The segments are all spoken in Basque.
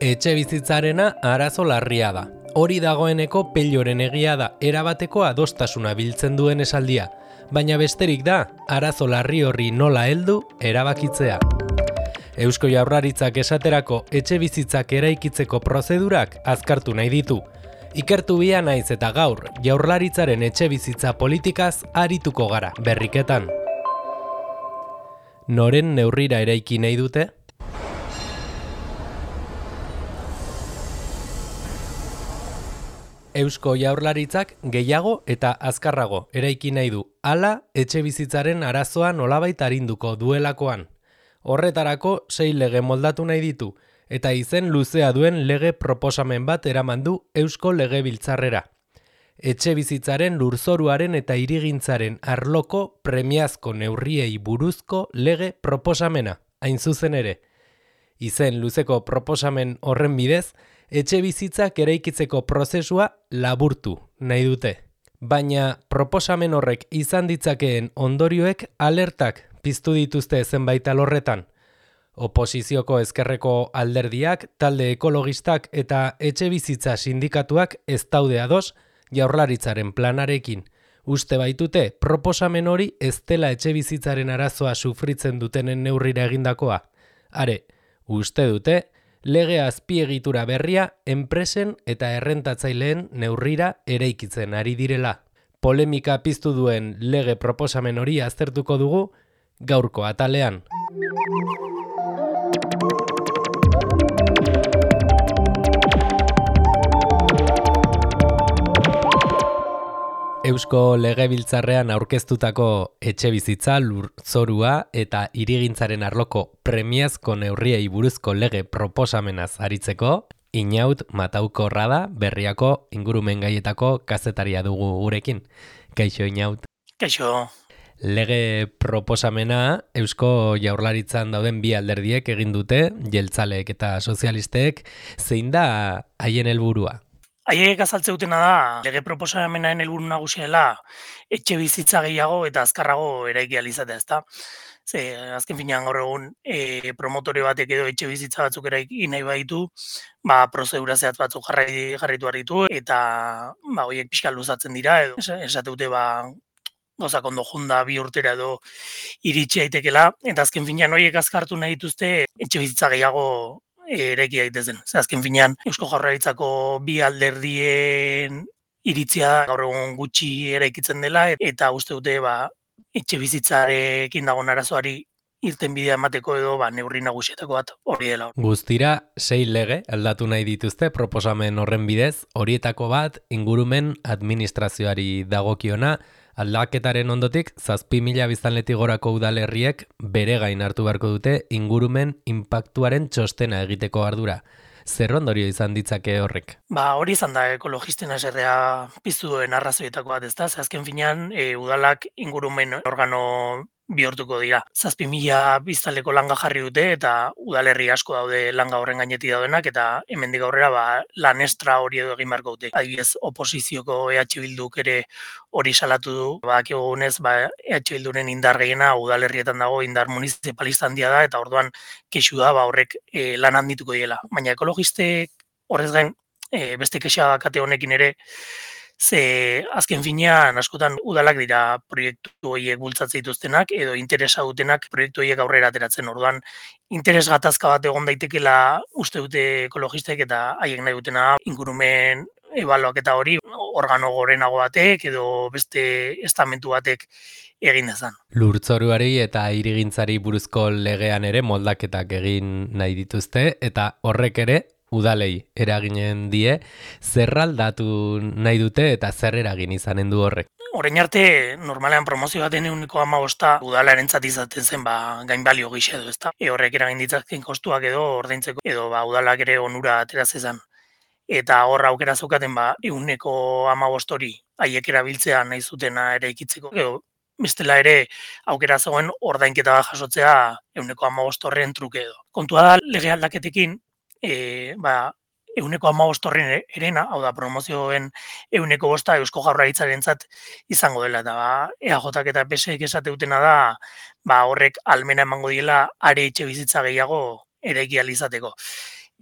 Etxe bizitzarena arazo larria da. Hori dagoeneko pelloren egia da erabateko adostasuna biltzen duen esaldia, baina besterik da arazo larri horri nola heldu erabakitzea. Eusko Jaurlaritzak esaterako etxe bizitzak eraikitzeko prozedurak azkartu nahi ditu. Ikertu bia naiz eta gaur Jaurlaritzaren etxe bizitza politikaz arituko gara berriketan. Noren neurrira eraiki nahi dute? Eusko Jaurlaritzak gehiago eta azkarrago eraiki nahi du, hala etxe bizitzaren arazoa nolabait arinduko duelakoan. Horretarako 6 lege moldatu nahi ditu, eta izen luzea duen lege proposamen bat eraman du Eusko Legebiltzarrera. Etxe bizitzaren lurzoruaren eta hirigintzaren arloko premiazko neurriei buruzko lege proposamena, hain zuzen ere. Izen luzeko proposamen horren bidez, etxe bizitzak eraikitzeko prozesua laburtu nahi dute. Baina proposamen horrek izan ditzakeen ondorioek alertak piztu dituzte zenbait alorretan. Oposizioko ezkerreko alderdiak, talde ekologistak eta etxe bizitza sindikatuak ez daude ados Jaurlaritzaren planarekin. Uste baitute proposamen hori ez dela etxe bizitzaren arazoa sufritzen dutenen neurrira egindakoa. Are, uste dute lege azpiegitura berria enpresen eta errentatzaileen neurrira eraikitzen ari direla. Polemika piztu duen lege proposamen hori aztertuko dugu gaurko atalean. Eusko Legebiltzarrean aurkeztutako etxe bizitza, lurzorua eta hirigintzaren arloko premiazko neurriei buruzko lege proposamenaz aritzeko, Inaut Mataukorra da Berriako ingurumen gaietako kazetaria dugu gurekin. Kaixo Inaut. Kaixo. Lege proposamena Eusko Jaurlaritzan dauden bi alderdiek egin dute, jeltzaleek eta sozialistek, zein da haien helburua? Haiek azaltzeutena da, lege proposamenaren helburu nagusia dela etxe bizitza gehiago eta azkarrago eraiki ahal izatea, ezta? Ze, azken finean gaur egun promotore batek edo etxe bizitza batzuk eraiki nahi baditu, prozedura zehatz batzuk jarraitu behar ditu eta horiek pixka luzatzen dira edo esateute gauzak ondo junda 2 urtera edo iritsi daitekela, eta azken finean horiek azkartu nahi dituzte etxe bizitza gehiago eraiki daitezen. Azken finean Eusko Jaurlaritzako bi alderdien iritzia gaur egun gutxi eraikitzen dela eta uste dute etxe bizitzarekin dagoen arazoari irtenbidea emateko edo neurri nagusietako bat hori dela. Guztira 6 lege aldatu nahi dituzte proposamen horren bidez, horietako bat ingurumen administrazioari dagokiona. Aldaketaren ondotik, 7.000 biztanletik gorako udalerriek bere gain hartu beharko dute ingurumen inpaktuaren txostena egiteko ardura. Zer ondorio izan ditzake horrek? Hori izan da ekologisten haserrea piztu duen arrazoietako bat, ezta? Azken finean, udalak ingurumen organo bihurtuko dira. 7.000 biztanleko langa jarri dute eta udalerri asko daude langa horren gainetik daudenak eta hemendik aurrera lan estra hori edo egin beharko dute. Adibidez, oposizioko EH Bilduk ere hori salatu du. Badakigunez, EH Bilduren indar gehiena udalerrietan dago, indar municipalista handia da eta orduan kexu da horrek lan handituko diela. Baina ekologistek horrez gain beste kexa kate honekin ere ze azken finean askotan udalak dira proiektu horiek bultzatzen dituztenak edo interesa dutenak proiektu horiek aurrera ateratzen. Orduan interes gatazka bat egon daitekela uste dute ekologistek eta haiek nahi dutena ingurumen ebaluaketa hori organo gorenago batek edo beste estamentu batek egin dezan. Lurtzoruari eta hirigintzari buruzko legean ere moldaketak egin nahi dituzte eta horrek ere udalei eraginen die, zer aldatu nahi dute eta zer eragin izanen du horrek? Orain arte, normalean promozio baten 15% udalarentzat izaten zen gainbalio gisa edo, ezta? Horrek eragin ditzaken kostuak edo ordaintzeko edo udalak ere onura atera zezan. Eta hor aukera zeukaten 15% hori haiek erabiltzea nahi zutena eraikitzeko. Edo bestela ere aukera zegoen ordainketa jasotzea 15% horren truke edo. Kontua da lege aldaketekin 15% horren erena, hau da promozioen 5% Eusko Jaurlaritzarentzat izango dela eta EAJak eta PSek esateutena da horrek almena emango diela are etxe bizitza gehiago eraiki ahal izateko.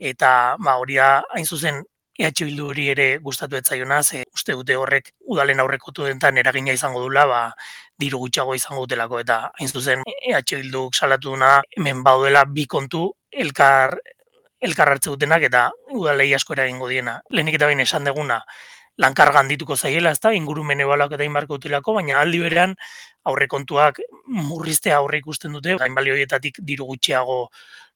eta hori da hain zuzen EH Bildu hori ere gustatu ez zaiona, ze uste dute horrek udalen aurrekontu dentan eragina izango dula, diru gutxiago izango dutelako, eta hain zuzen EH Bilduk salatu duna hemen baudela bi kontu elkar hartze dutenak eta udalei asko eragingo diena. Lehenik eta behin esan deguna, lankarga handituko zaiela, ezta, ingurumen ebaluaketa egin beharko dutelako, baina aldi berean aurrekontuak murriztea aurre ikusten dute, gainbali horietatik diru gutxiago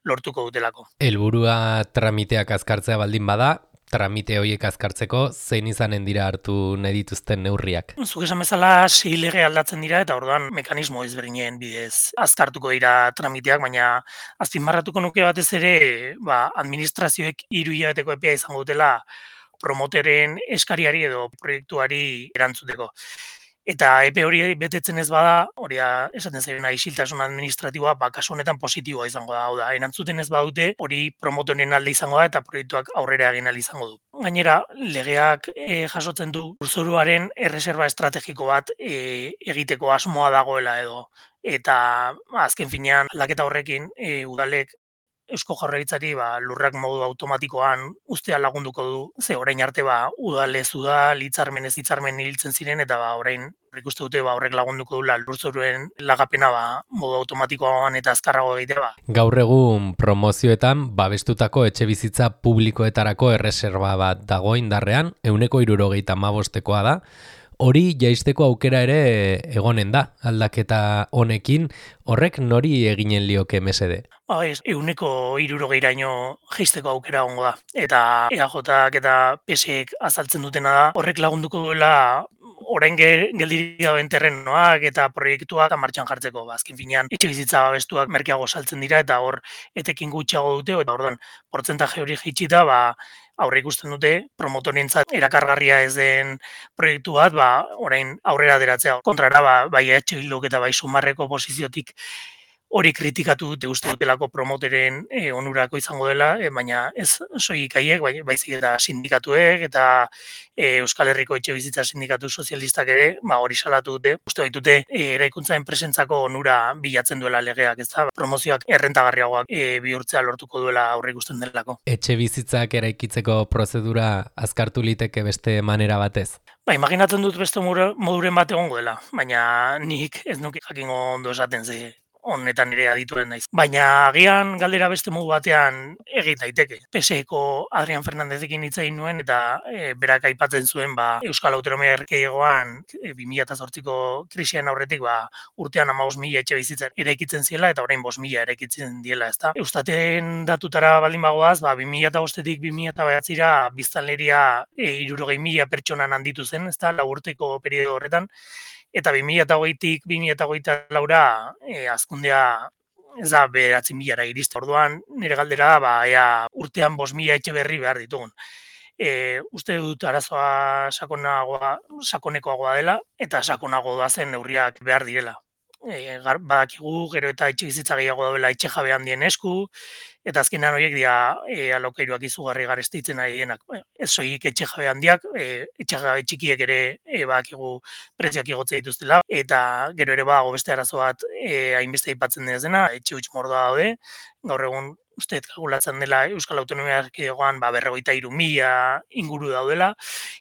lortuko dutelako. Helburua tramiteak azkartzea baldin bada, tramite horiek azkartzeko zein izanen dira hartu nahi dituzten neurriak? Zuk esan bezala 6 lege aldatzen dira eta orduan mekanismo ezberdinen bidez azkartuko dira tramiteak, baina azpimarratuko nuke batez ere, administrazioek 3 hilabeteko epea izango dutela promoteren eskariari edo proiektuari erantzuteko. Eta epe hori betetzen ez bada, hori da esaten zaiona isiltasun administratiboa, kasu honetan positiboa izango da, hau da, erantzuten ez badute, hori promotoren alde izango da eta proiektuak aurrera egin ahal izango du. Gainera, legeak jasotzen du lurzoruaren erreserba estrategiko bat egiteko asmoa dagoela edo. Eta azken finean, aldaketa horrekin udalek Eusko Jaurlaritzari lurrak modu automatikoan ustea lagunduko du, ze orain arte udalez udal, hitzarmenez hitzarmen hiltzen ziren eta orain ikuste dute horrek lagunduko dula lurzoruen lagapena modu automatikoan eta azkarrago egitea. Gaur egun promozioetan babestutako etxebizitza publikoetarako erreserba bat dago indarrean, 175koa da. Hori jaisteko aukera ere egonen da, aldaketa honekin, horrek nori eginen lioke mesede? 160raino jaisteko aukera egongo da. Eta EAJak eta PSek azaltzen dutena da, horrek lagunduko duela orain geldirik dauden terrenoak eta proiektuak martxan jartzeko. Azken finean, etxebizitza babestuak merkeago saltzen dira eta hor etekin gutxiago dute, eta orduan, portzentaje hori jaitsita, aurre ikusten dute promotorentzat erakargarria ez den proiektu bat, orain aurrera ateratzea. Kontrara, bai EH Bilduk eta bai Sumarreko posiziotik hori kritikatu dute uste dutelako promoteren onurako izango dela, baina ez soilik haiek, baizik eta sindikatuek eta Euskal Herriko etxebizitza sindikatu sozialistak ere, hori salatu dute, uste baitute eraikuntza enpresentzako onura bilatzen duela legeak, ez da, promozioak errentagarriagoak bihurtzea lortuko duela aurre ikusten delako. Etxebizitzak eraikitzeko prozedura azkartu liteke beste manera batez? Imaginatzen dut beste moduren bat egongo dela, baina nik ez nuke jakingo ondo esaten ze honetan ere adituen naiz. Baina agian galdera beste modu batean egin daiteke. PSeko Adrian Fernandezekin hitz egin nuen eta berak aipatzen zuen Euskal Autonomia Erkidegoan 2008ko krisian aurretik urtean 15.000 etxebizitza eraikitzen ziela eta orain 5.000 eraikitzen diela, ezta. Eustaten datutara baldin bagoaz, 2005tik 2009ra biztanleria 60.000 pertsonan handitu zen, ezta, 4 urteko periodo horretan. Eta 2008tik 2024ra hazkundea ez da 9.000ra iriste. Orduan, nire galdera ea urtean 5.000 etxe berri behar ditugun. Uste dut arazoa sakonekoagoa dela eta sakonago da zen neurriak behar direla. Badakigu gero eta etxebizitza gehiago daudela etxe jabe handien esku, eta azkenean horiek dira alokairuak izugarri garestitzen ari denak. Ez soilik etxe jabe handiak, etxe jabe txikiek ere badakigu prezioak igotzea dituztela, eta gero ere beste arazo bat hainbeste aipatzen dena, etxe huts mordoa daude, gaur egun uste kalkulatzen dela Euskal Autonomia Erkidegoan 53.000 inguru daudela,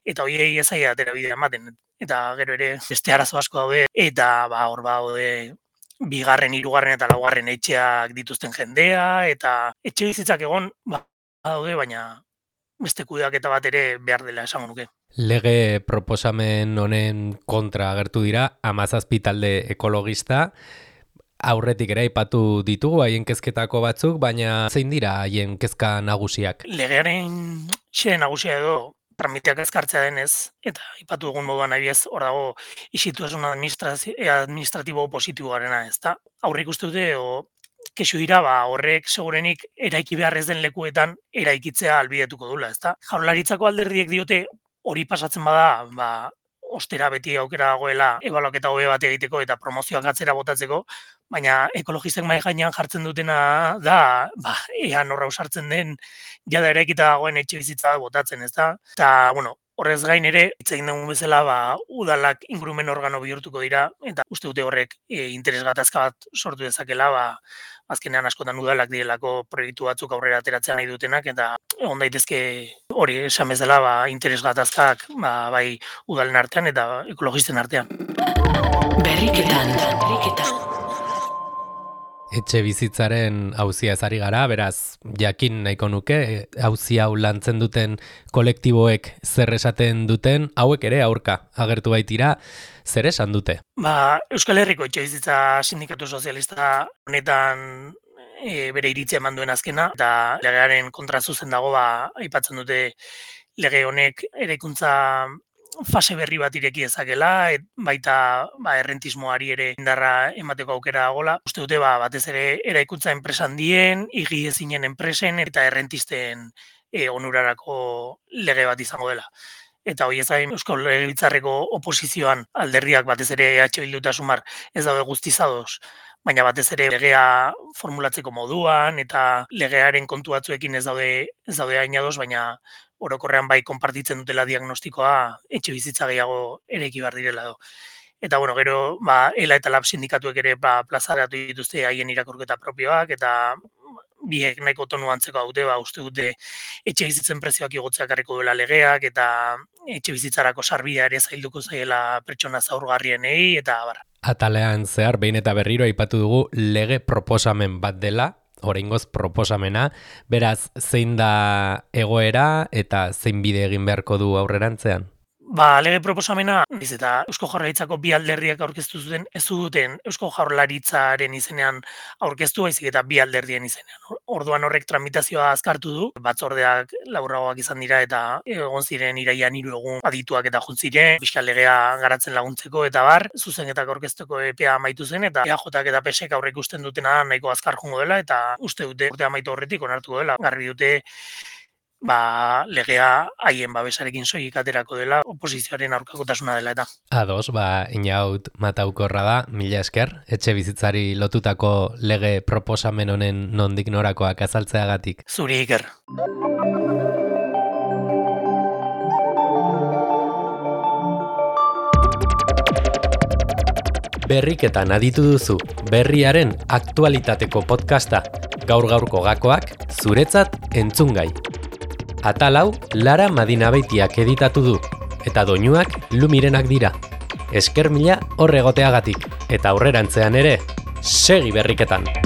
eta horiei ez zaila atera bidea ematen. Eta gero ere beste arazo asko daude, eta hor daude 2., 3. eta 4. etxeak dituzten jendea, eta etxe bizitzak egon daude, baina beste kudeaketa bat ere behar dela esango nuke. Lege proposamen honen kontra agertu dira 17 talde ekologista, aurretik ere aipatu ditugu haien kezketako batzuk, baina zein dira haien kezka nagusiak? Legearen xede nagusia edo tramiteak azkartzea denez, eta aipatu dugun moduan abiez, hor dago isiltasun administratibo positiboarena, ezta? Aurre ikuste dute kexu dira, horrek segurenik eraiki behar ez den lekuetan eraikitzea albidetuko dula, ezta? Jaurlaritzako alderdiek diote hori pasatzen bada, ostera beti aukera dagoela ebaluaketa hobe bat egiteko eta promozioak atzera botatzeko, baina ekologistek mahai gainean jartzen dutena da, ea norra usartzen den jada eraikita dagoen etxe bizitza botatzen, ezta? Eta, Horrez gain ere, hitz egin dugun bezala, udalak ingurumen organo bihurtuko dira, eta uste dute horrek interes gatazka bat sortu dezakela, azkenean askotan udalak direlako proiektu batzuk aurrera ateratzea nahi dutenak, eta egon daitezke hori esan bezala, interes gatazkak bai udalen artean eta ekologisten artean. Berriketan. Etxe bizitzaren auzia ezari gara, beraz, jakin nahiko nuke, auzi hau lantzen duten kolektiboek zer esaten duten, hauek ere aurka agertu baitira, zer esan dute? Euskal Herriko etxe bizitza sindikatu sozialista honetan bere iritzia eman duen azkena, eta legearen kontra zuzen dago, aipatzen dute lege honek eraikuntza fase berri bat ireki ezakela, baita errentismoari ere indarra emateko aukera dagoela. Uste dute batez ere eraikuntza enpresa handien, higiezinen enpresen eta errentisten onurarako lege bat izango dela. Eta hori ez gain Eusko Legebiltzarreko oposizioan alderdiak batez ere EH Bildu eta Sumar ez daude guztiz ados, baina batez ere legea formulatzeko moduan eta legearen kontu batzuekin ez daude hain ados, baina orokorrean bai konpartitzen dutela diagnostikoa etxe bizitza gehiago eraiki behar direla edo. Eta gero ELA eta LAB sindikatuek ere plazaratu dituzte haien irakurketa propioak eta biek nahiko tonu antzeko dute, uste dute etxe bizitzen prezioak igotzea ekarriko duela legeak eta etxe bizitzarako sarbidea ere zailduko zaiela pertsona zaurgarrienei eta bar. Atalean zehar behin eta berriro aipatu dugu lege proposamen bat dela, oraingoz proposamena, beraz zein da egoera eta zein bide egin beharko du aurrerantzean? Lege proposamena, eta Eusko Jaurlaritzako bi alderdiak aurkeztu zuten, ez duten Eusko Jaurlaritzaren izenean aurkeztu, baizik eta bi alderdien izenean. Orduan horrek tramitazioa azkartu du, batzordeak laburragoak izan dira eta egon ziren iraian 3 egun adituak eta juntziren, fiskal legea garatzen laguntzeko eta bar, zuzenketak aurkezteko epea amaitu zen eta EAJak eta PSek aurre ikusten dutena nahiko azkar joango dela eta uste dute urte amaitu horretik onartuko dela. Garbi dute legea haien babesarekin soilik aterako dela, oposizioaren aurkakotasuna dela eta. Ados, Inaut Mataukorra da, mila esker, etxe bizitzari lotutako lege proposamen honen nondik norakoak azaltzeagatik. Zuri iker. Berriketan aditu duzu, berriaren aktualitateko podcasta, gaur-gaurko gakoak, zuretzat entzungai. Atal hau Lara Madinabeitiak editatu du, eta doinuak Lumirenak dira. Esker mila hor egoteagatik, eta aurrerantzean ere, segi berriketan!